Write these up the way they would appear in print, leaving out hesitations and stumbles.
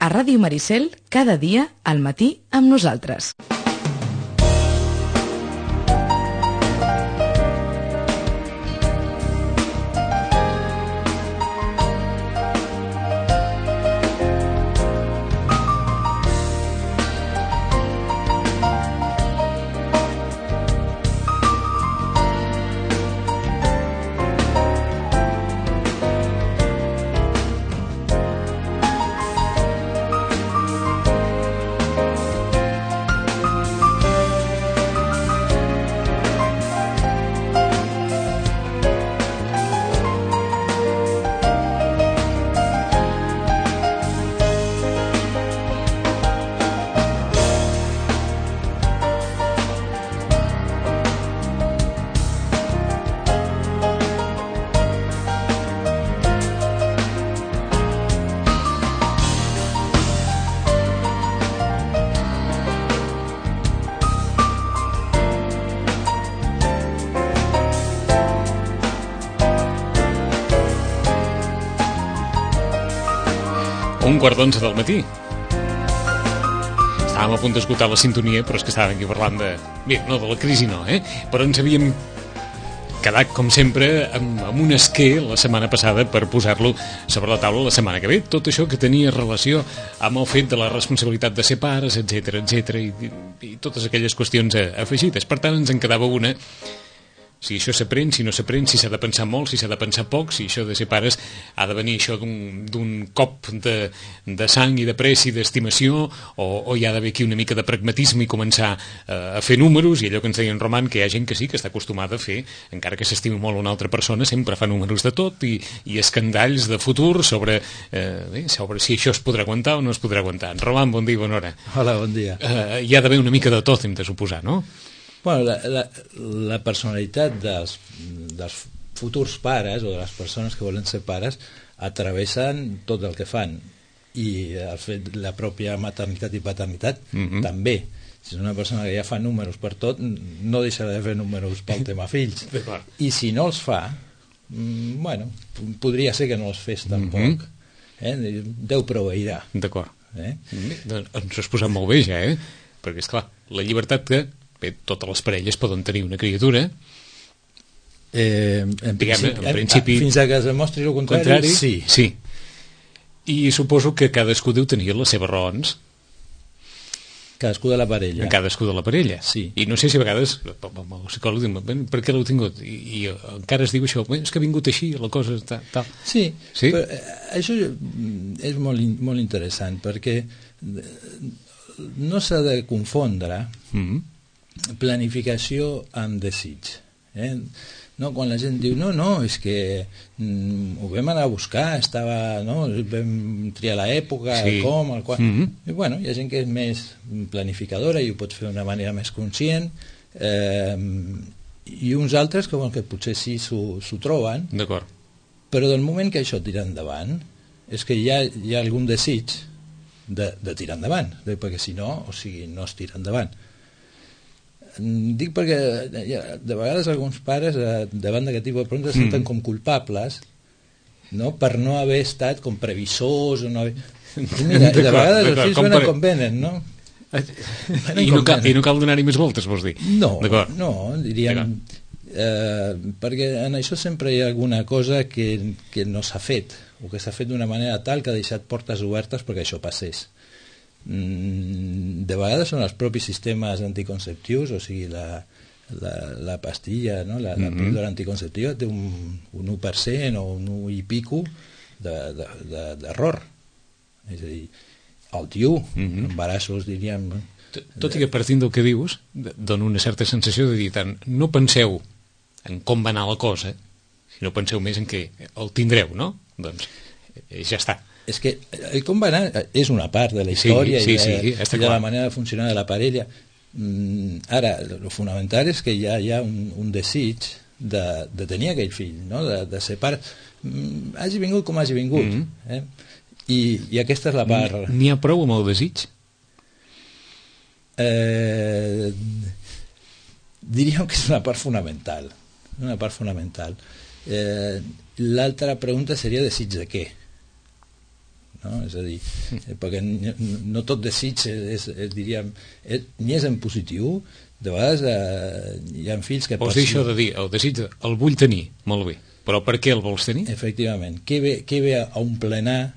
A Ràdio Maricel, cada dia, al matí, amb nosaltres. Un quart d'11 del matí. Estàvem a punt d'esgotar la sintonia, però és que estàvem aquí parlant de... Bé, no, de la crisi no, però ens havíem quedat, com sempre, amb un esquer la setmana passada per posar-lo sobre la taula la setmana que ve. Tot això que tenia relació amb el fet de la responsabilitat de ser pares, etc i totes aquelles qüestions afegides. Per tant, ens en quedava una... Si això s'aprèn, si no s'aprèn, si s'ha de pensar molt, si s'ha de pensar poc, si això de ser pares ha de venir això d'un cop de sang i de pressa i d'estimació, o hi ha d'haver aquí una mica de pragmatisme i començar a fer números, i allò que ens deia en Roman, que hi ha gent que sí, que està acostumada a fer, encara que s'estimi molt una altra persona, sempre fa números de tot i escandalls de futur sobre si això es podrà aguantar o no es podrà aguantar. En Roman, bon dia i bona hora. Hola, bon dia. Hi ha d'haver una mica de tot, hem de suposar, no? Bueno, la personalitat dels futurs pares o de les persones que volen ser pares atravessen tot el que fan, i el fet la pròpia maternitat i paternitat també. Si és una persona que ja fa números per tot, no deixarà de fer números pel tema fills, i si no els fa, bueno, podria ser que no els fes tampoc, Déu proveirà. D'acord. Ens has posat molt bé ja, perquè esclar, la llibertat que totes les parelles poden tenir una criatura, en principi fins a que es demostri el contrari, sí. I suposo que cadascú deu tenir les seves raons, cadascú de la parella, sí. I no sé si a vegades el psicòleg diu, per què l'heu tingut, i encara es diu això, és que ha vingut així la cosa tal. Sí? Però això és molt interessant, perquè no s'ha de confondre planificació amb desig. No, quan la gent diu no, és que ho vam anar a buscar, vam triar l'època, com, el qual... I bueno, hi ha gent que és més planificadora i ho pot fer d'una manera més conscient, i uns altres que potser sí s'ho troben. D'acord. Però del moment que això tira endavant és que hi ha algun desig de tirar endavant, perquè si no, no es tira endavant. Dic perquè de vegades alguns pares davant d'aquest tipus de preguntes se senten com culpables, no? Per no haver estat com previsors o no haver... Mira, de vegades els fills venen com venen, no? I no cal donar-hi més voltes, vols dir? No, diríem, perquè en això sempre hi ha alguna cosa que no s'ha fet, o que s'ha fet d'una manera tal que ha deixat portes obertes perquè això passés. De vegades són els propis sistemes anticonceptius, o sigui la pastilla, no? la píldora anticonceptiva té un 1% o un 1 i pico d'error, és a dir, el tio, embarassos, diríem. Tot i que partint del que dius dona una certa sensació de dir tant, no penseu en com va anar la cosa, sinó penseu més en què el tindreu, no? Doncs ja està. És que el com va anar és una part de la història i de la manera de funcionar de la parella. Ara, el fonamental és que hi ha un desig de tenir aquell fill, no? De ser pare, hagi vingut com hagi vingut, i aquesta és la part. N'hi ha prou amb el desig? Diríem que és una part fonamental, l'altra pregunta seria desig de què, no? És a dir, perquè no tot desig diríem, ni és en positiu. De vegades hi ha fills que... Vols dir això de dir, el desig, el vull tenir, molt bé, però per què el vols tenir? Efectivament, què ve a omplenar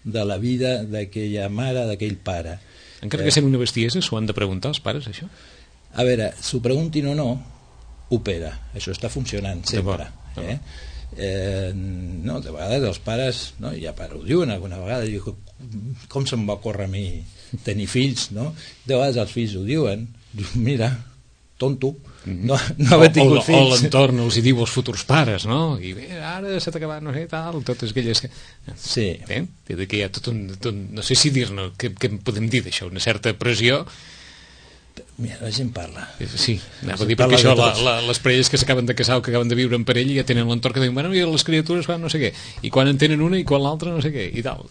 de la vida d'aquella mare, d'aquell pare? Encara que sent una bestiesa, s'ho han de preguntar els pares, això? A veure, s'ho preguntin o no, opera, això està funcionant sempre. No, de vegades els pares, no, ja ho diuen alguna vegada, com se'm va córrer a mi tenir fills, no? De vegades els fills ho diuen, mira, tonto, no haver tingut fills. O l'entorn els hi diu als futurs pares, no? I bé, ara s'ha acabat, no sé, tal, totes aquelles... Sí. Que hi ha tot un... No sé si dir-ne, què podem dir d'això? Una certa pressió... Mira, la gent parla. Sí, anava a dir, perquè això, les parelles que s'acaben de casar o que acaben de viure en parella ja tenen l'entorn que diuen, bueno, i les criatures fan no sé què, i quan en tenen una i quan l'altra no sé què, i tal.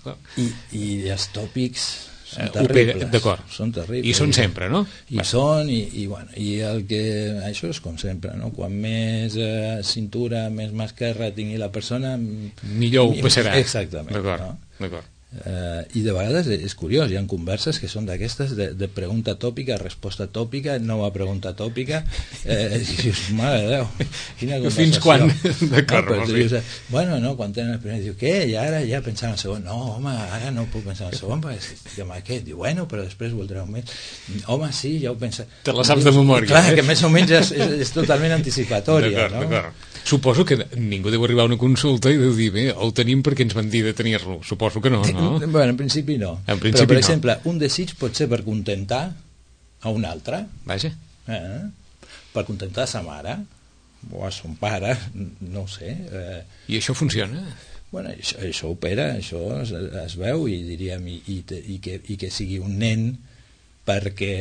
I els tòpics són terribles. D'acord. Són terribles. I són sempre, no? Són, i el que... Això és com sempre, no? Quan més cintura, més mà esquerra tingui la persona... Millor ho passarà. Exactament. D'acord. I de vegades és curiós, hi ha converses que són d'aquestes de pregunta tòpica, resposta tòpica, nova pregunta tòpica, i dius, mare de Déu, quina conversació. Fins quan? D'acord, bueno, no, quan tenen el primer, diu, què? I ara ja pensant en el segon, no, home, ara no puc pensar en el segon, perquè què? Diu, bueno, però després voldreu més. Home, sí, ja ho pensa. Te la saps de memòria. Clar, que més o menys és totalment anticipatòria, no? D'acord. Suposo que ningú deu arribar a una consulta i deu dir, bé, el tenim perquè ens van dir de tenir-lo. Suposo que no, no? Bueno, en principi no. En principi però, per exemple, un desig pot ser per contentar a un altre. Vaja. Per contentar a sa mare o a son pare, no ho sé. I això funciona? Bueno, això opera, això es veu i diríem i que sigui un nen perquè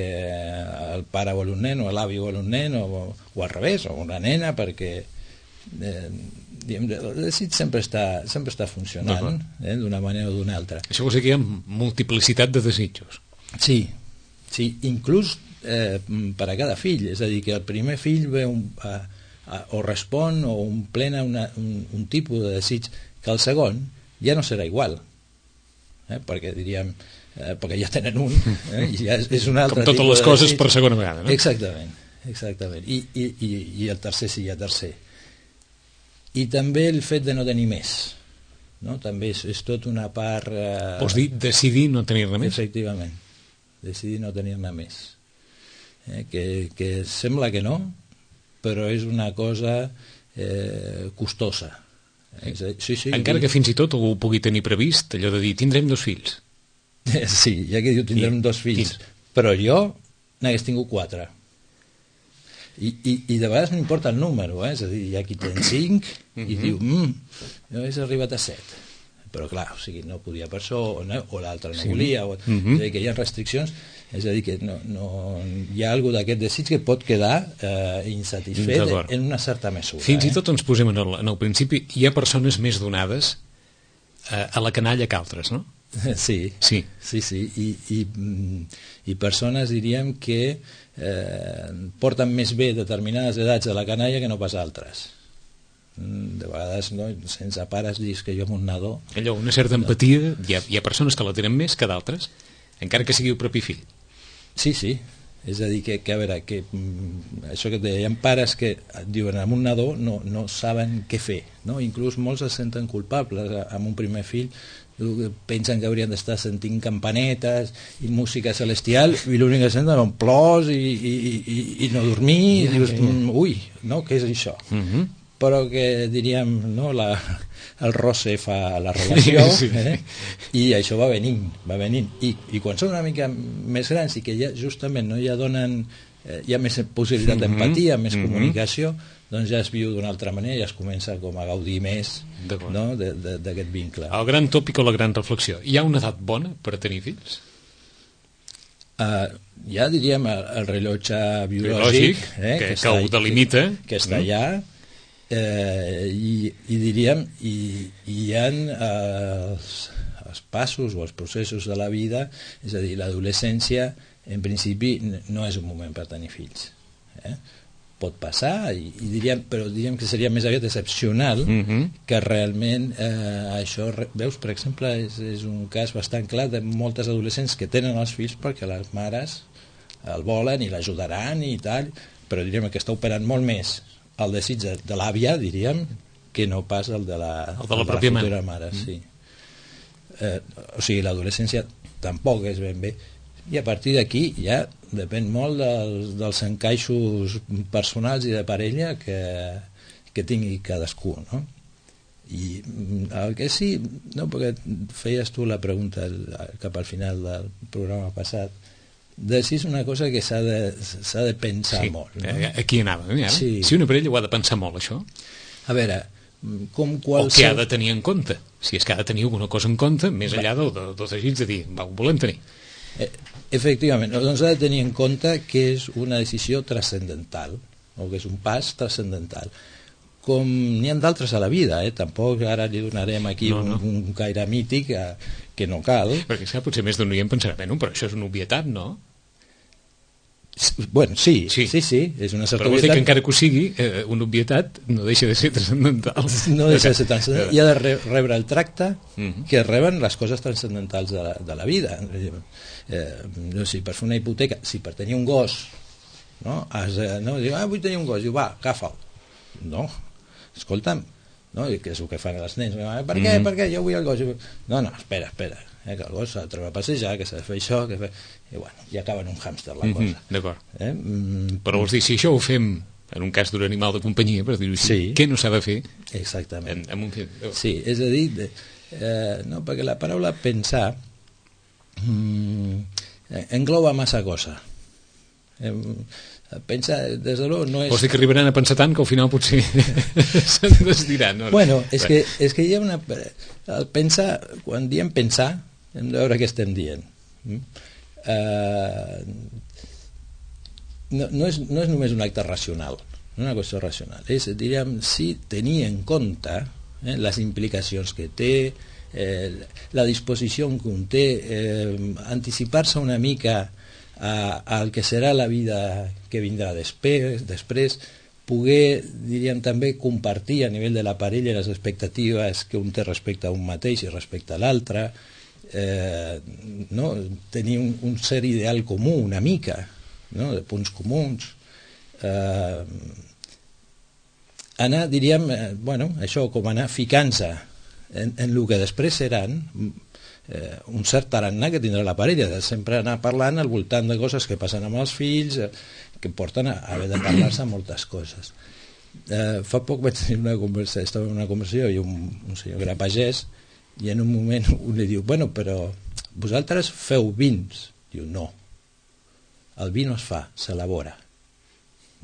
el pare vol un nen o l'avi vol un nen o al revés, o una nena perquè el desig sempre està funcionant d'una manera o d'una altra. Això vol dir que hi ha multiplicitat de desitjos. Sí, inclús per a cada fill, és a dir, que el primer fill ve o respon o omplena un tipus de desig que el segon ja no serà igual, perquè diríem perquè ja tenen un i ja és un altre com totes les coses per segona vegada, no? Exactament. I el tercer sí, el tercer. I també el fet de no tenir més, no? També és tot una part... Vols dir decidir no tenir-ne més? Efectivament, decidir no tenir-ne més. Que sembla que no, però és una cosa costosa. Sí, encara que fins i tot ho pugui tenir previst, allò de dir, tindrem 2 fills. Sí, ja que diu tindrem 2 fills, però jo n'hagués tingut 4. I de vegades no importa el número, és a dir, hi ha qui ten 5 i diu, jo hagués arribat a 7, però clar, o sigui, no podia per això o l'altre no volia, és a dir, que hi ha restriccions, és a dir, que hi ha alguna d'aquest desig que pot quedar insatisfet en una certa mesura. Fins i tot ens posem en el principi, hi ha persones més donades a la canalla que altres, no? Sí. I persones, diríem, que porten més bé determinades edats de la canalla que no pas altres. De vegades, no, sense pares, dius que jo amb un nadó... Allò, una certa empatia, hi ha persones que la tenen més que d'altres, encara que sigui el propi fill. Sí, és a dir, que a veure, que això que et deia, hi ha pares que diuen amb un nadó no saben què fer, no? Inclús molts es senten culpables amb un primer fill, pensen que haurien d'estar sentint campanetes i música celestial i l'únic que senten són plors i no dormir, i dius, ui, no, què és això? Però que diríem, no, el roce fa la relació, i això va venint. I quan són una mica més grans i que ja justament ja donen, hi ha més possibilitat d'empatia, més comunicació, doncs ja es viu d'una altra manera, ja es comença com a gaudir més, no, d'aquest vincle. El gran tòpic o la gran reflexió, hi ha una edat bona per tenir fills? Ja diríem el rellotge biològic que ho delimita, que està allà, i diríem hi ha els passos o els processos de la vida, és a dir, l'adolescència en principi no és un moment per tenir fills, pot passar, però diríem que seria més aviat excepcional que realment això, veus, per exemple, és un cas bastant clar de moltes adolescents que tenen els fills perquè les mares el volen i l'ajudaran i tal, però diríem que està operant molt més el desig de l'àvia, diríem, que no pas el de la futura mare. Sí. O sigui, l'adolescència tampoc és ben bé, i a partir d'aquí ja depèn molt dels encaixos personals i de parella que tingui cadascú, no? I el que sí, no, perquè feies tu la pregunta cap al final del programa passat, de si és una cosa que s'ha de pensar molt, no? Aquí anava, sí. Si una parella ho ha de pensar molt, això, a veure, com o què ha de tenir en compte, si és que ha de tenir alguna cosa en compte més enllà del desig de dir, ho volem tenir. Efectivament, doncs ha de tenir en compte que és una decisió transcendental, o que és un pas transcendental, com n'hi ha d'altres a la vida, tampoc ara li donarem aquí un caire mític que no cal. Perquè potser més d'un oient pensarà, però això és una obvietat, no? Bueno, sí, és una certa però vol dir que encara que ho sigui, una obvietat no deixa de ser transcendental. No deixa de ser transcendental, i ha de rebre el tracte que reben les coses transcendentals de la vida. Si per fer una hipoteca, si per tenir un gos, no? Diu, vull tenir un gos, diu, va, agafa'l. No, escolta'm, no? Que és el que fan els nens, per què? Jo vull el gos. No, espera, que el gos s'ha de treure a passejar, que s'ha de fer això, i bueno, i acaba en un hàmster la cosa. D'acord. Però vols dir, si això ho fem en un cas d'un animal de companyia, per dir-ho així, què no s'ha de fer? Exactament. En un fill? Sí, és a dir, no, perquè la paraula pensar engloba massa cosa. Pensar, des de l'ho, no és... Vols dir que arribaran a pensar tant que al final potser se'n desdiran, no? Bueno, és que hi ha una... El pensar, quan diem pensar, hem de veure què estem dient. No és només un acte racional, no una qüestió racional. És, diríem, sí, tenir en compte les implicacions que té, la disposició que un té, anticipar-se una mica al que serà la vida que vindrà després, poder, diríem, també compartir a nivell de la parella les expectatives que un té respecte a un mateix i respecte a l'altre, no? Tenir un cert ideal comú una mica, no? De punts comuns, anar, diríem, això, com anar ficant-se en el que després seran un cert tarannà que tindrà la parella, de sempre anar parlant al voltant de coses que passen amb els fills, que porten a haver de parlar-se moltes coses. Fa poc vaig tenir una conversació, estava en una conversació i un senyor que era pagès, i en un moment un li diu, bueno, però vosaltres feu vins? Diu, no, el vi no es fa, s'elabora.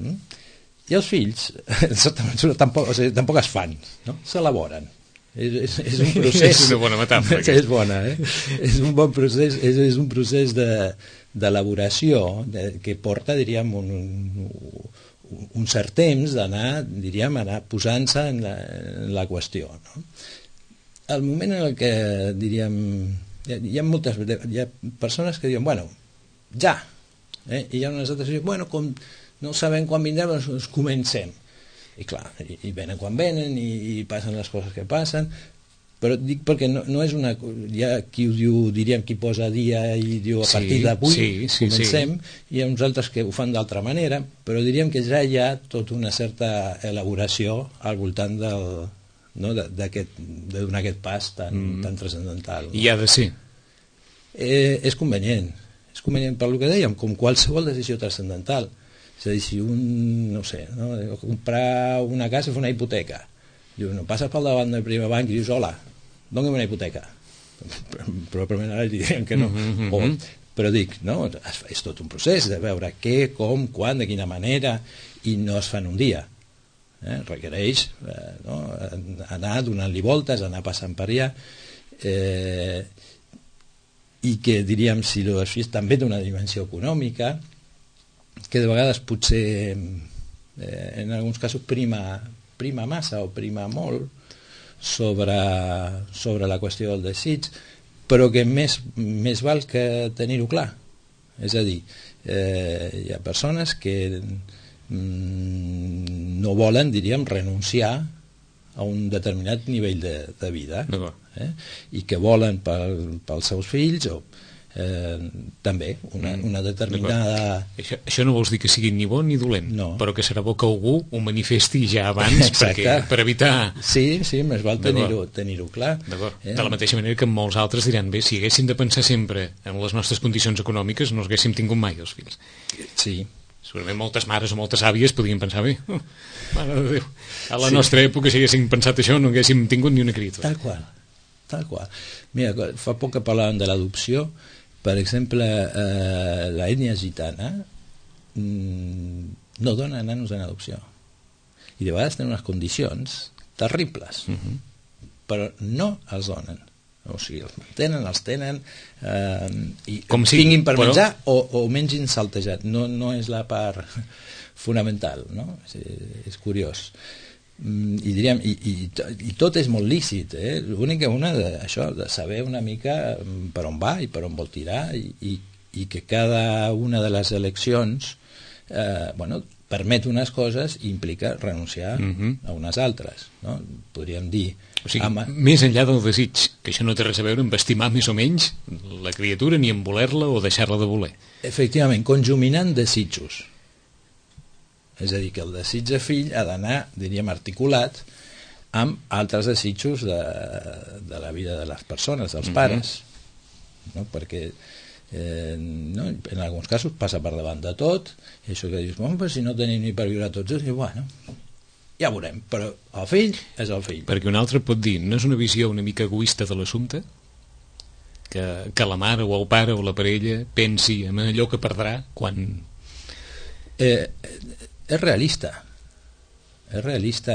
I els fills tampoc es fan, no? S'elaboren. És un procés. És una bona metàfora. És bona, és un bon procés, és un procés d'elaboració que porta, diríem, un cert temps d'anar, diríem, anar posant-se en la qüestió, no? El moment en el que, diríem, hi ha persones que diuen, bueno, ja, i hi ha unes altres que diuen, bueno, com no sabem quan vindrem, doncs comencem. I clar, i venen quan venen i passen les coses que passen, però dic perquè no és una... Hi ha qui ho diu, diríem, qui posa dia i diu a partir d'avui comencem, i hi ha uns altres que ho fan d'altra manera, però diríem que ja hi ha tota una certa elaboració al voltant de donar aquest pas tan transcendental. I ha de ser. És convenient per el que dèiem, com qualsevol decisió transcendental. És a dir, si un, no sé, comprar una casa i fer una hipoteca, diu, no passes pel davant del primer banc i dius, hola, doni'm una hipoteca. Probablement ara dirien que no. Però dic, no, és tot un procés de veure què, com, quan, de quina manera, i no es fa en un dia. Requereix anar donant-li voltes, anar passant per allà, i que, diríem, si els fills també d'una dimensió econòmica, que de vegades potser en alguns casos prima massa o prima molt sobre la qüestió del desig, però que més val que tenir-ho clar. És a dir, hi ha persones que no volen, diríem, renunciar a un determinat nivell de vida, i que volen pels seus fills o també una determinada... Això no vols dir que sigui ni bo ni dolent, però que serà bo que algú ho manifesti ja abans per evitar... Sí, més val tenir-ho clar. De la mateixa manera que molts altres diran, bé, si haguéssim de pensar sempre en les nostres condicions econòmiques no els haguéssim tingut mai els fills. Sí. Segurament moltes mares o moltes àvies podien pensar, bé, mare de Déu, a la nostra època si haguéssim pensat això no haguéssim tingut ni una criatura. Tal qual. Mira, fa poc que parlàvem de l'adopció. Per exemple, la ètnia gitana no dona nanos en adopció. I de vegades tenen unes condicions terribles, però no els donen. O sigui, els tenen i tinguin per menjar o mengin saltejat. No és la part fonamental, no? És curiós. I diríem, i tot és molt lícit, l'únic que això de saber una mica per on va i per on vol tirar i que cada una de les eleccions permet unes coses i implica renunciar a unes altres, no? Podríem dir... O sigui, més enllà del desig, que això no té res a veure amb estimar més o menys la criatura ni amb voler-la o deixar-la de voler. Efectivament, conjuminant desitjos. És a dir, que el desig de fill ha d'anar, diríem, articulat amb altres desitjos de la vida de les persones, dels pares, no? Perquè en alguns casos passa per davant de tot, i això que dius, però si no tenim ni per viure tots, i bueno, ja veurem, però el fill és el fill. Perquè un altre pot dir, no és una visió una mica egoista de l'assumpte? Que la mare o el pare o la parella pensi en allò que perdrà quan... És realista,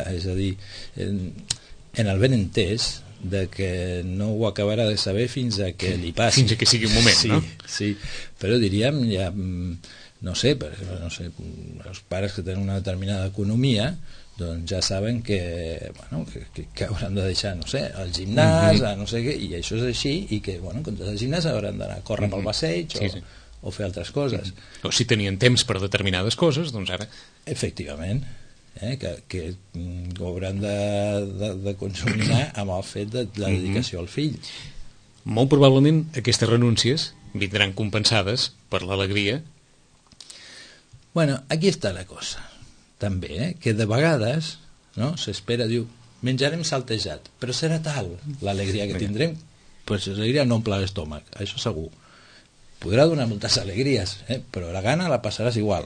és a dir, en el ben entès de que no ho acabarà de saber fins a que li passi. Fins a que sigui un moment, sí, no? Sí, però diríem, ja, no sé, els pares que tenen una determinada economia doncs ja saben que hauran de deixar, no sé, el gimnàs, no sé què, i això és així, i que, en comptes del gimnàs hauran d'anar a córrer pel passeig o fer altres coses. O si tenien temps per determinades coses, doncs ara... Efectivament, que hauran de consumir amb el fet de la dedicació al fill. Molt probablement aquestes renúncies vindran compensades per l'alegria. Bueno, aquí està la cosa, també, que de vegades s'espera, diu, menjarem saltejat, però serà tal l'alegria que tindrem, pues l'alegria no omple l'estómac, això segur. Podrà donar moltes alegries, però la gana la passaràs igual.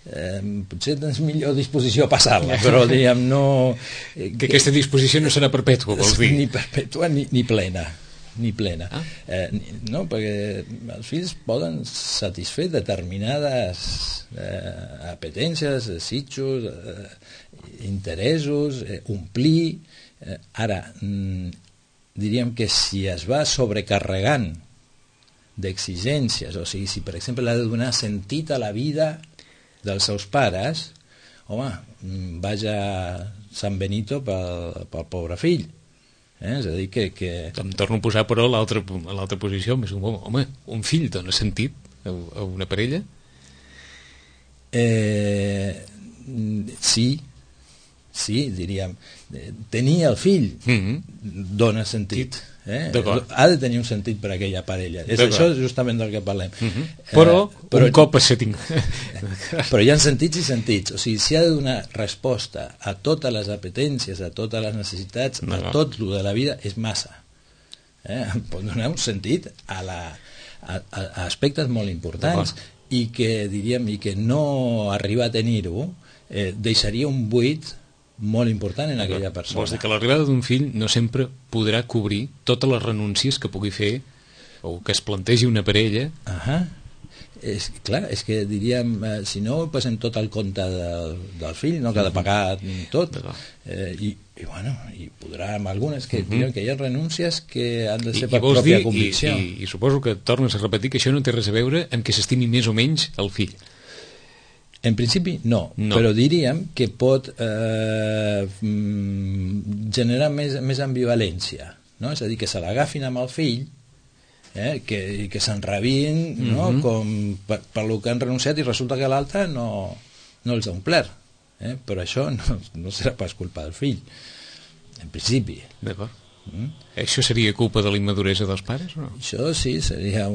Potser tens millor disposició a passar-la, però diguem no... Que aquesta disposició no serà perpètua, vols dir? Ni perpètua ni plena. No, perquè els fills poden satisfer determinades apetències, desitjos, interessos, omplir. Ara, diríem que si es va sobrecarregant d'exigències, o sigui, si per exemple ha de donar sentit a la vida dels seus pares, home, vaja San Benito pel pobre fill. És a dir que... Em torno a posar, però, a l'altra posició. Home, un fill dona sentit a una parella? Sí, diríem. Tenir el fill dona sentit. Ha de tenir un sentit per a aquella parella. És això justament del que parlem. Però un cop se tinc... Però hi ha sentits i sentits. O sigui, si ha de donar resposta a totes les apetències, a totes les necessitats, a tot el de la vida, és massa. Pot donar un sentit a aspectes molt importants i que, diríem, i que no arribar a tenir-ho deixaria un buit molt important en aquella persona. Vols dir que l'arribada d'un fill no sempre podrà cobrir totes les renúncies que pugui fer o que es plantegi una parella? Clar, és que diríem, si no passem tot al compte del fill, no, que ha de pagar tot, i podrà amb algunes que diuen que hi ha renúncies que han de ser per pròpia convicció. I suposo que tornes a repetir que això no té res a veure amb que s'estimi més o menys el fill. En principi no, però diríem que pot generar més ambivalència, no? És a dir, que se l'agafin amb el fill, que s'enrabien, no? Com per lo que han renunciat, i resulta que l'altre no no els ha omplert, però això no serà pas culpa del fill, en principi. D'acord. Això seria culpa de la immaduresa dels pares o no? Això sí, seria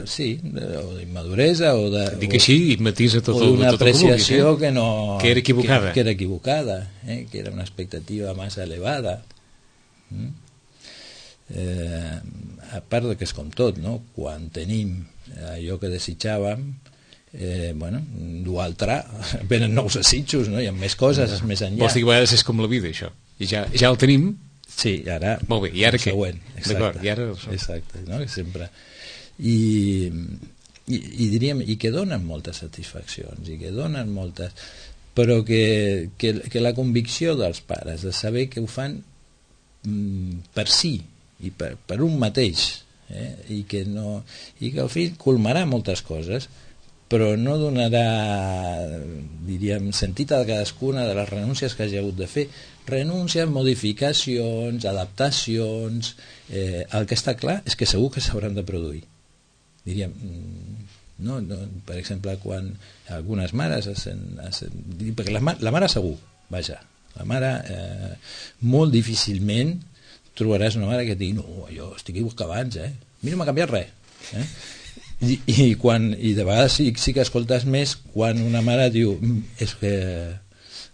sí, o d'immaduresa o de... Dic així i matisa tot el d'una apreciació que no... Que era equivocada. Que era equivocada, que era una expectativa massa elevada. A part que és com tot, no? Quan tenim allò que desitjàvem, bueno, d'altre venen nous desitjos, no? Hi ha més coses més enllà. Vols dir que a vegades és com la vida, això? I ja el tenim. Sí, ara... Molt bé, i ara què? D'acord, i ara... Exacte, no? Sempre... I diríem, i que donen moltes satisfaccions, i que donen moltes... Però que la convicció dels pares de saber que ho fan per si i per un mateix, i que el fill colmarà moltes coses, però no donarà, diríem, sentit a cadascuna de les renúncies que hagi hagut de fer. Renúncies, modificacions, adaptacions... El que està clar és que segur que s'hauran de produir. Diríem, no, per exemple, quan algunes mares perquè la mare segur, vaja, la mare molt difícilment trobaràs una mare que et digui no, jo estic igual que abans, a mi no m'ha canviat res, i de vegades sí que escoltes més quan una mare diu és que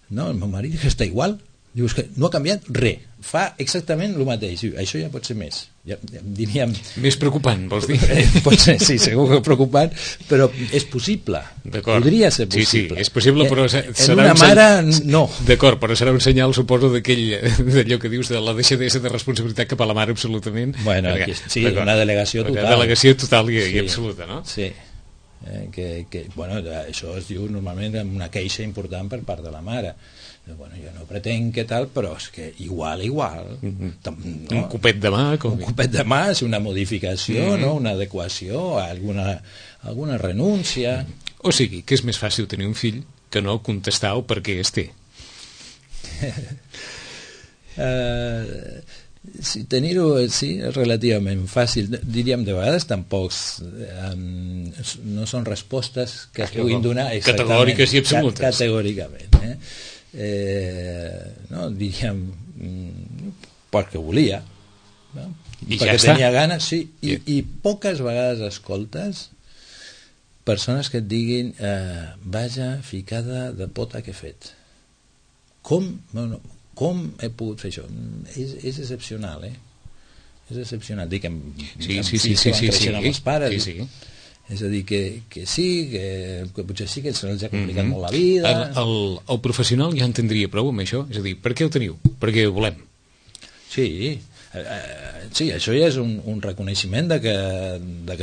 no, el meu marit està igual, diu és que no ha canviat res, fa exactament el mateix. Això ja pot ser més, diríem... Més preocupant, vols dir? Pot ser, sí, segur que preocupant, però és possible. Podria ser possible. Sí, és possible, però en una mare, no. D'acord, però serà un senyal, suposo, d'allò que dius, de la deixadesa de responsabilitat cap a la mare, absolutament. Bueno, sí, una delegació total. Una delegació total i absoluta, no? Sí. Bueno, això es diu normalment amb una queixa important per part de la mare. Bueno, jo no pretenc que tal, però és que igual no? Un copet de mà un copet de mà és una modificació, no? Una adequació, alguna renúncia. O sigui, que és més fàcil tenir un fill que no contestar el per què es té. Sí, tenir-ho sí, és relativament fàcil, diríem. De vegades tampoc no són respostes que es puguin donar categòriques i absolutes categòricament, no, diríem perquè volia, no? Perquè tenia ganes, sí, i poques vegades escoltes persones que et diguin vaja ficada de pota que he fet, com he pogut fer això. És excepcional, és excepcional. Dic, sí, creixent amb els pares, sí. És a dir, que sí, que potser sí que se'ls ha complicat molt la vida. El professional ja entendria prou amb això, és a dir, per què ho teniu? Perquè ho volem. Sí, això ja és un reconeixement de que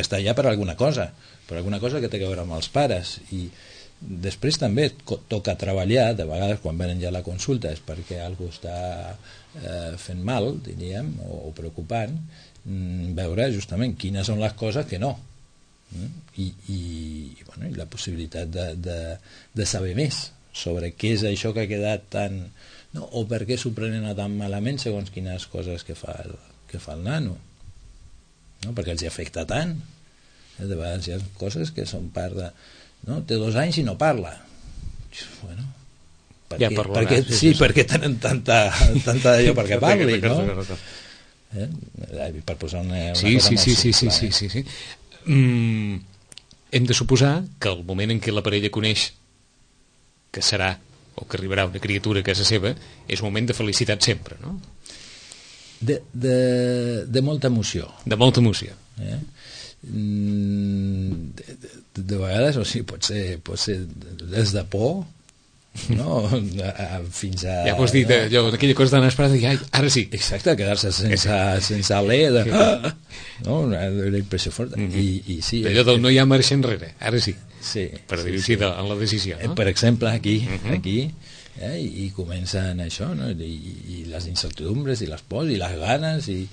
està allà per alguna cosa que té a veure amb els pares. I després també toca treballar, de vegades quan venen ja a la consulta és perquè algú està fent mal, diríem, o preocupant, veure justament quines són les coses que no, i la possibilitat de saber més sobre què és això que ha quedat tan, no? O per què s'ho prenen tan malament segons quines coses que fa el nano, no? Perquè els hi afecta tant. De vegades hi ha coses que són part de... No? Té 2 anys i no parla. Bueno, perquè tenen tanta d'allò perquè parli, no? Per posar una cosa molt simple. Sí. Hem de suposar que el moment en què la parella coneix que serà o que arribarà una criatura a casa seva és un moment de felicitat sempre, no? De molta emoció. De molta emoció. De vegades, o sigui, pot ser des de por, no? Fins a... Ja pots dir allò, aquella cosa tan esperada i ara sí. Exacte, quedar-se sense alè no? Una impressió forta. I sí, allò del no hi ha marxa enrere, ara sí, per dir-ho així, en la decisió, no? Per exemple, aquí i comencen això, no? I les incertidumbres i les pors i les ganes i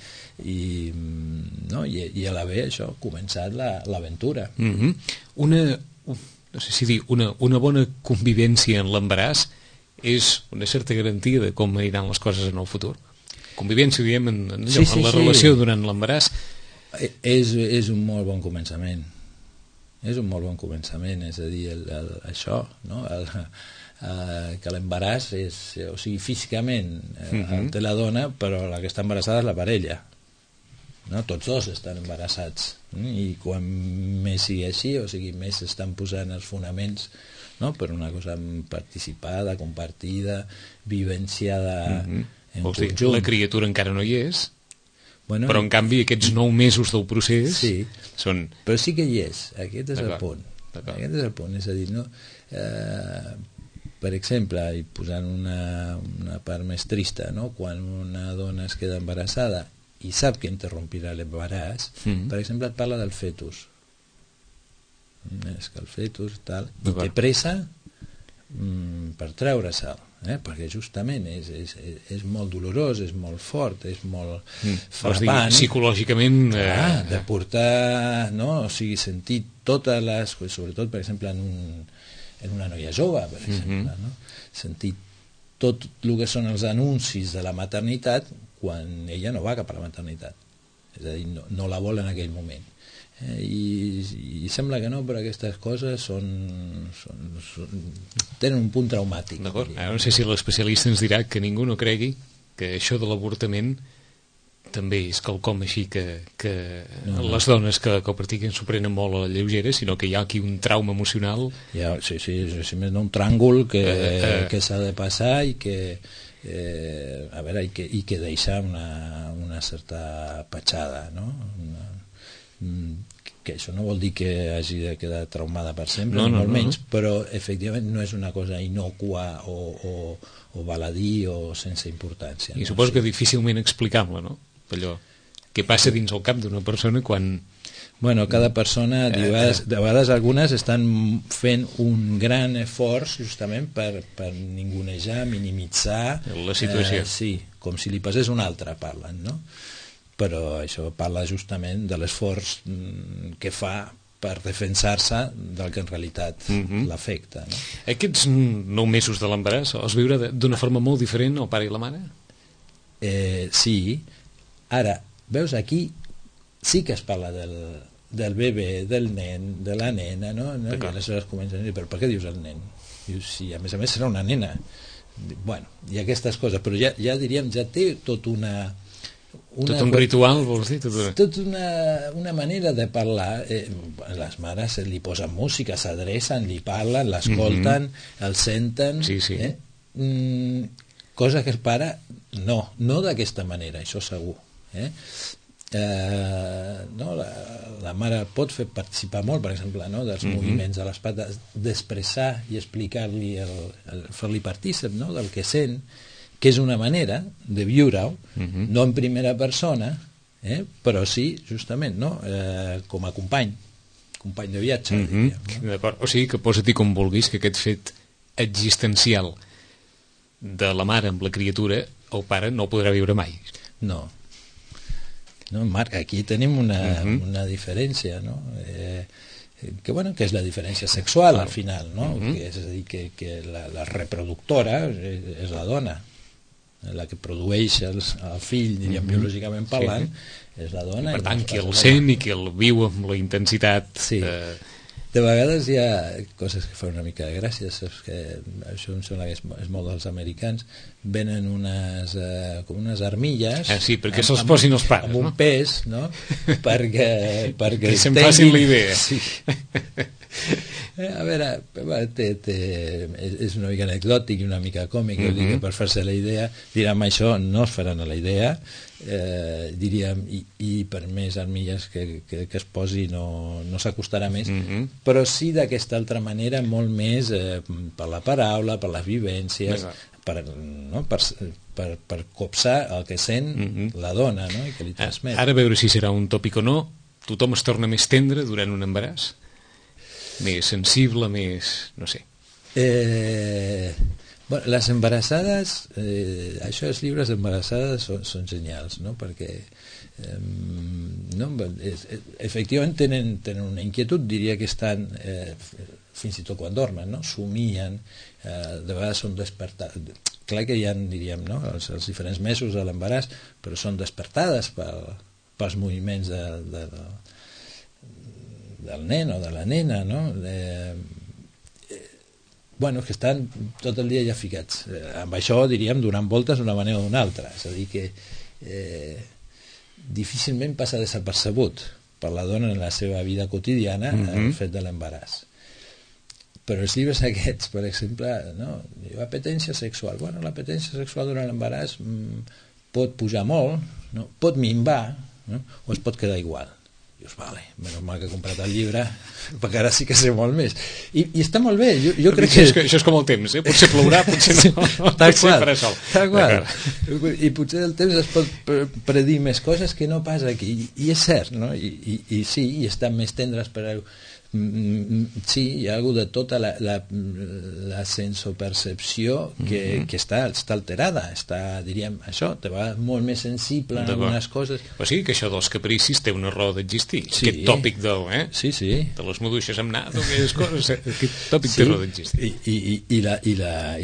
a la ve això ha començat l'aventura. No sé si dir, una bona convivència en l'embaràs és una certa garantia de com aniran les coses en el futur. Convivència, diem, en la relació durant l'embaràs és un molt bon començament. és un molt bon començament, és a dir, això, no? Que l'embaràs és, o sigui, físicament el té la dona, però la que està embarassada és la parella, no? Tots dos estan embarassats, i quan més sigui així, o sigui, més s'estan posant els fonaments, no? Per una cosa participada, compartida, vivenciada en conjunt. La criatura encara no hi és, bueno, però en canvi aquests 9 mesos del procés són... Però sí que hi és, aquest és el punt. Aquest és el punt, és a dir, no? Per exemple, i posant una part més trista, no? Quan una dona es queda embarassada i sap que interrompirà l'embaràs, per exemple, et parla del fetus. És que el fetus tal, i té pressa per treure-se'l, perquè justament és molt dolorós, és molt fort, és molt frapant, psicològicament de portar, no? O sigui, sentir totes les, sobretot per exemple en una noia jove, per exemple, no? Sentir tot el que són els anuncis de la maternitat quan ella no va cap a la maternitat, és a dir, no la vol en aquell moment. I sembla que no, però aquestes coses tenen un punt traumàtic. D'acord. Ara no sé si l'especialista ens dirà que ningú no cregui que això de l'avortament també és quelcom així que les dones que ho practiquen s'ho prenen molt a la lleugera, sinó que hi ha aquí un trauma emocional. Sí, més un tràngol que s'ha de passar i que a veure, i que deixa una certa petjada, no? Que això no vol dir que hagi de quedar traumada per sempre, molt menys, però efectivament no és una cosa innocua o baladí o sense importància. I suposo que difícilment explicable, no? Allò que passa dins el cap d'una persona quan... Bueno, cada persona, de vegades algunes estan fent un gran esforç justament per ningunejar, minimitzar la situació. Sí, com si li passés una altra, parlen, no? Però això parla justament de l'esforç que fa per defensar-se del que en realitat l'afecta, no? Aquests 9 mesos de l'embaràs els viure d'una forma molt diferent el pare i la mare? Sí. Ara, veus, aquí sí que es parla del bebè, del nen, de la nena, no? I aleshores comencen a dir, però per què dius el nen? Dius, sí, a més serà una nena. Bueno, i aquestes coses, però ja diríem, ja té tot tot un ritual, vols dir? Tot una manera de parlar. Les mares li posen música, s'adrecen, li parlen, l'escolten, el senten, cosa que el pare no d'aquesta manera, això segur. No, la mare pot fer participar molt, per exemple, no, dels moviments de les pates, d'expressar i explicar-li, fer-li partícip, no, del que sent, que és una manera de viure-ho, no en primera persona, però sí, justament, no? Com a company de viatge. D'acord. O sigui que posa-t'hi com vulguis que aquest fet existencial de la mare amb la criatura, el pare no el podrà viure mai. No, Marc, aquí tenim una diferència, no? Que és la diferència sexual, al final, no? És a dir, que la reproductora és la dona, la que produeix el fill, diríem, biològicament parlant, és la dona. Per tant, qui el sent i qui el viu amb la intensitat... Sí. De vegades hi ha coses que fan una mica de gràcia, saps que això em sembla que és molt dels americans, venen com unes armilles... Sí, perquè se'ls posin els pares, amb un pes, no? perquè que se'n facin la idea. Sí. A veure, és una mica anecdòtic i una mica còmic, que per fer-se la idea diran, això no es faran a la idea, diríem, i per més armilles que es posi no s'acostarà més, però sí d'aquesta altra manera molt més per la paraula, per les vivències, per copsar el que sent la dona, no? I que li transmet. Ara, a veure si serà un tòpic o no, tothom es torna més tendre durant un embaràs? Més sensible, més... no sé. Les embarassades, això, els llibres d'embarassades són genials, no? Perquè efectivament tenen una inquietud, diria que estan fins i tot quan dormen, no? Somien, de vegades són despertades. Clar que hi ha, diríem, no? els diferents mesos de l'embaràs, però són despertades pels moviments del nen o de la nena, no? Bueno, que estan tot el dia ja ficats. Amb això, diríem, donant voltes d'una manera o d'una altra. És a dir, que difícilment passa desapercebut per la dona en la seva vida quotidiana el fet de l'embaràs. Però els llibres aquests, per exemple, no? Apetència sexual. Bueno, l'apetència sexual durant l'embaràs pot pujar molt, no? Pot minvar, no? O es pot quedar igual. Dius, vale, menys mal que he comprat el llibre, perquè ara sí que sé molt més. I està molt bé, jo crec que... Això és com el temps, potser plourà, potser no, potser farà sol. Tal qual. I potser el temps es pot predir més coses que no pas aquí, i és cert, no? I sí, i estan més tendres per... Sí, hi ha hagut de tota la sensopercepció que està alterada, diríem, això, te va molt més sensible en algunes coses. O sigui que això dels capricis té una raó d'existir, aquest tòpic de les maduixes amb nat, aquelles coses, aquest tòpic té raó d'existir. I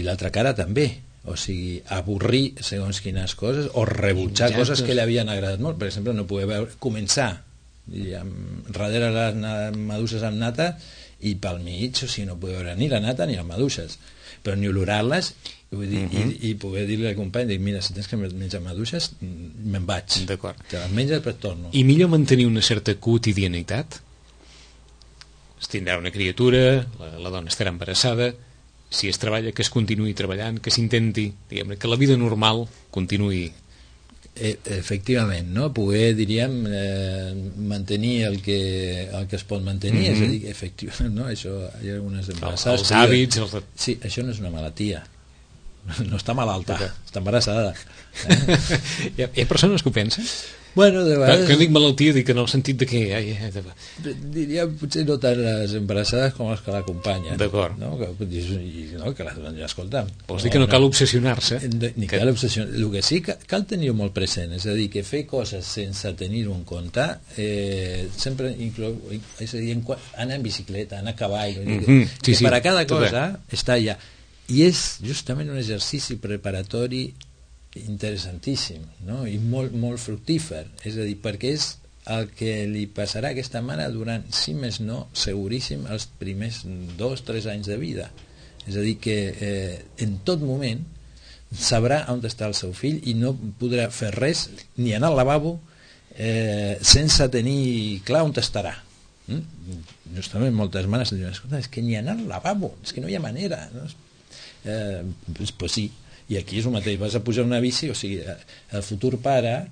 l'altra cara també, o sigui, avorrir segons quines coses o rebutjar coses que li havien agradat molt. Per exemple, no poder començar darrere les maduixes amb nata i pel mig, o sigui, no poder veure ni la nata ni les maduixes, però ni olorar-les i poder dir-li al company, mira, si tens que menjar maduixes me'n vaig, te les menges però torno. I millor mantenir una certa quotidianitat, es tindrà una criatura, la dona estarà embarassada, si es treballa, que es continuï treballant, que s'intenti, diguem-ne, que la vida normal continuï. Efectivament, no? Poder, diríem, mantenir el que es pot mantenir, és a dir, efectivament, no? Això, hi ha algunes embarassades... Els hàbits... Sí, això no és una malaltia, no està malalta, està embarassada. Hi ha persones que ho pensen? Bueno, de vegades... Que dic malaltia, dic en el sentit de que... Diria potser no tant les embarassades com les que l'acompanyen. D'acord. No? Que les donen, escolta... Vols dir que no cal obsessionar-se? Ni cal obsessionar. El que sí que cal tenir-ho molt present, és a dir, que fer coses sense tenir-ho en compte sempre inclou... És a dir, anar en bicicleta, anar a cavall... Que per a cada cosa està allà. I és justament un exercici preparatori interessantíssim, no? I molt, molt fructífer, és a dir, perquè és el que li passarà a aquesta mare durant, si més no, seguríssim, els primers 2-3 anys de vida. És a dir, que en tot moment sabrà on està el seu fill i no podrà fer res, ni anar al lavabo sense tenir clar on estarà. Justament moltes mares diuen, escolta, és que ni anar al lavabo, és que no hi ha manera, no? Pues sí. I aquí és el mateix, vas a pujar una bici, o sigui, el futur pare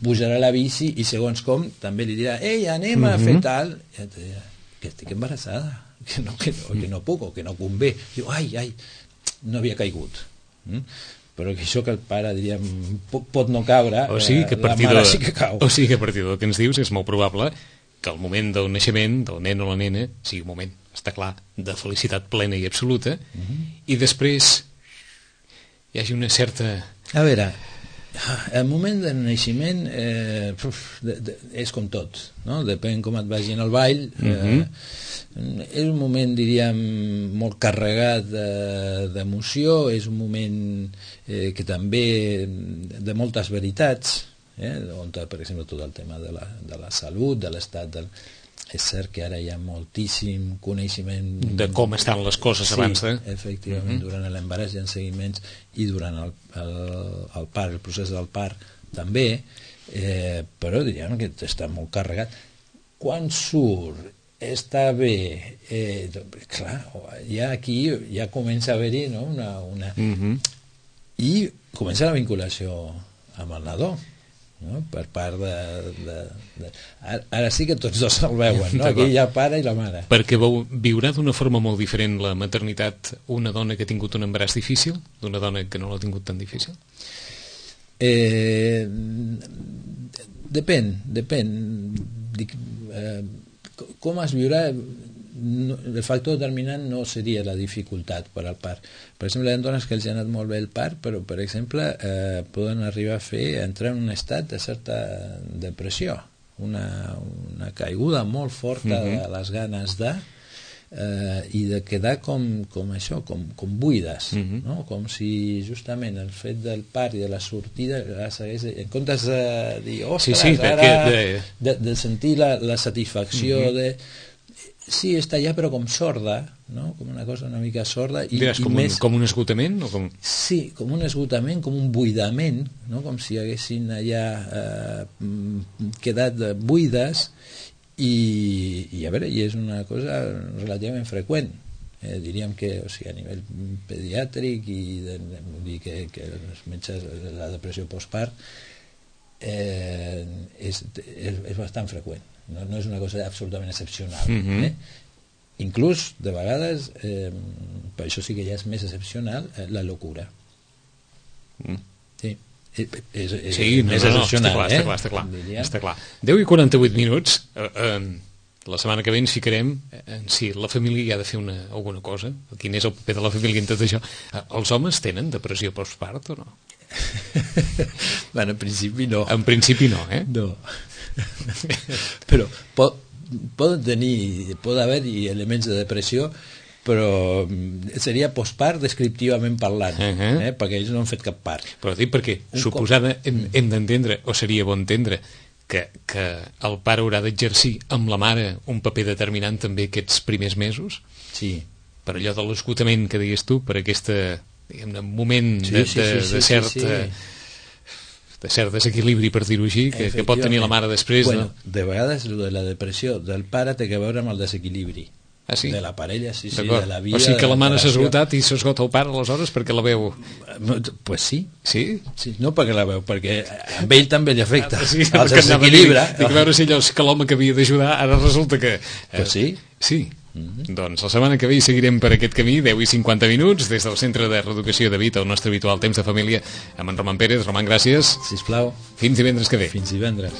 pujarà la bici i segons com també li dirà, ei, anem a fer tal, i et dirà, que estic embarassada, que no puc o que no convé. Diu, ai, no havia caigut. Però que això que el pare, diríem, pot no caure, la mare sí que cau. O sigui que a partir del que ens dius és molt probable que el moment del naixement del nen o la nena sigui un moment, està clar, de felicitat plena i absoluta, i després hi hagi una certa... A veure, el moment del naixement és com tot, no? Depèn com et vagi en el ball. És un moment, diríem, molt carregat d'emoció, és un moment que també de moltes veritats, on, per exemple, tot el tema de la salut, de l'estat del... És cert que ara hi ha moltíssim coneixement de com estan les coses abans de... Sí, efectivament, durant l'embaràs hi ha seguiments i durant el part, el procés del part també, però diríem que està molt carregat. Quan surt, està bé, clar, aquí ja comença a haver-hi, no? I comença la vinculació amb el nadó, no? Per part ara sí que tots dos el veuen, no? Aquí hi ha pare i la mare, perquè viurà d'una forma molt diferent la maternitat una dona que ha tingut un embaràs difícil d'una dona que no l'ha tingut tan difícil. Depèn com es viurà. El factor determinant no seria la dificultat per al part. Per exemple, hi ha dones que els ha anat molt bé el part, però per exemple poden arribar a entrar en un estat de certa depressió, una caiguda molt forta de les ganes de, i de quedar com això, com buides, no? Com si justament el fet del part i de la sortida segueix, en comptes de dir ostres, ara de sentir la satisfacció de... Sí, està allà però com sorda, no? Com una cosa una mica sorda i més... com un esgotament? O com... Sí, com un esgotament, com un buidament, no? Com si haguessin allà quedat buides. I a veure, i és una cosa relativament freqüent, diríem que, o sigui, a nivell pediàtric i dir que els metges, la depressió postpart és bastant freqüent, no és una cosa absolutament excepcional, inclús de vegades per això sí que ja és més excepcional la locura. Sí, més excepcional, està clar. 10:48 minuts. La setmana que ve ens ficarem si la família hi ha de fer alguna cosa, quin és el paper de la família en tot això. Els homes tenen depressió postpart o no? Bueno, en principi no. En principi no, No. Però pot haver-hi elements de depressió, però seria postpart descriptivament parlant, perquè ells no han fet cap part. Però dic perquè suposada hem d'entendre, o seria bon entendre, que el pare haurà d'exercir amb la mare un paper determinant també aquests primers mesos, per allò de l'esgotament que deies tu, per aquest moment de cert desequilibri, per dir-ho així, que pot tenir la mare després. De vegades la depressió del pare té a veure amb el desequilibri de la parella, de la vida. O sigui que la mare s'ha esgotat i s'esgota el pare aleshores perquè la veu... Pues sí. Sí? No perquè la veu, perquè a ell també li afecta. El desequilibri. Dic, a veure si allò que l'home que havia d'ajudar ara resulta que... Pues sí. Sí. Doncs la setmana que ve hi seguirem per aquest camí, 10:50 minuts, des del Centre de Reeducació de Vita, el nostre habitual temps de família, amb en Roman Pérez. Roman, gràcies. Sisplau. Fins divendres que ve. Fins divendres.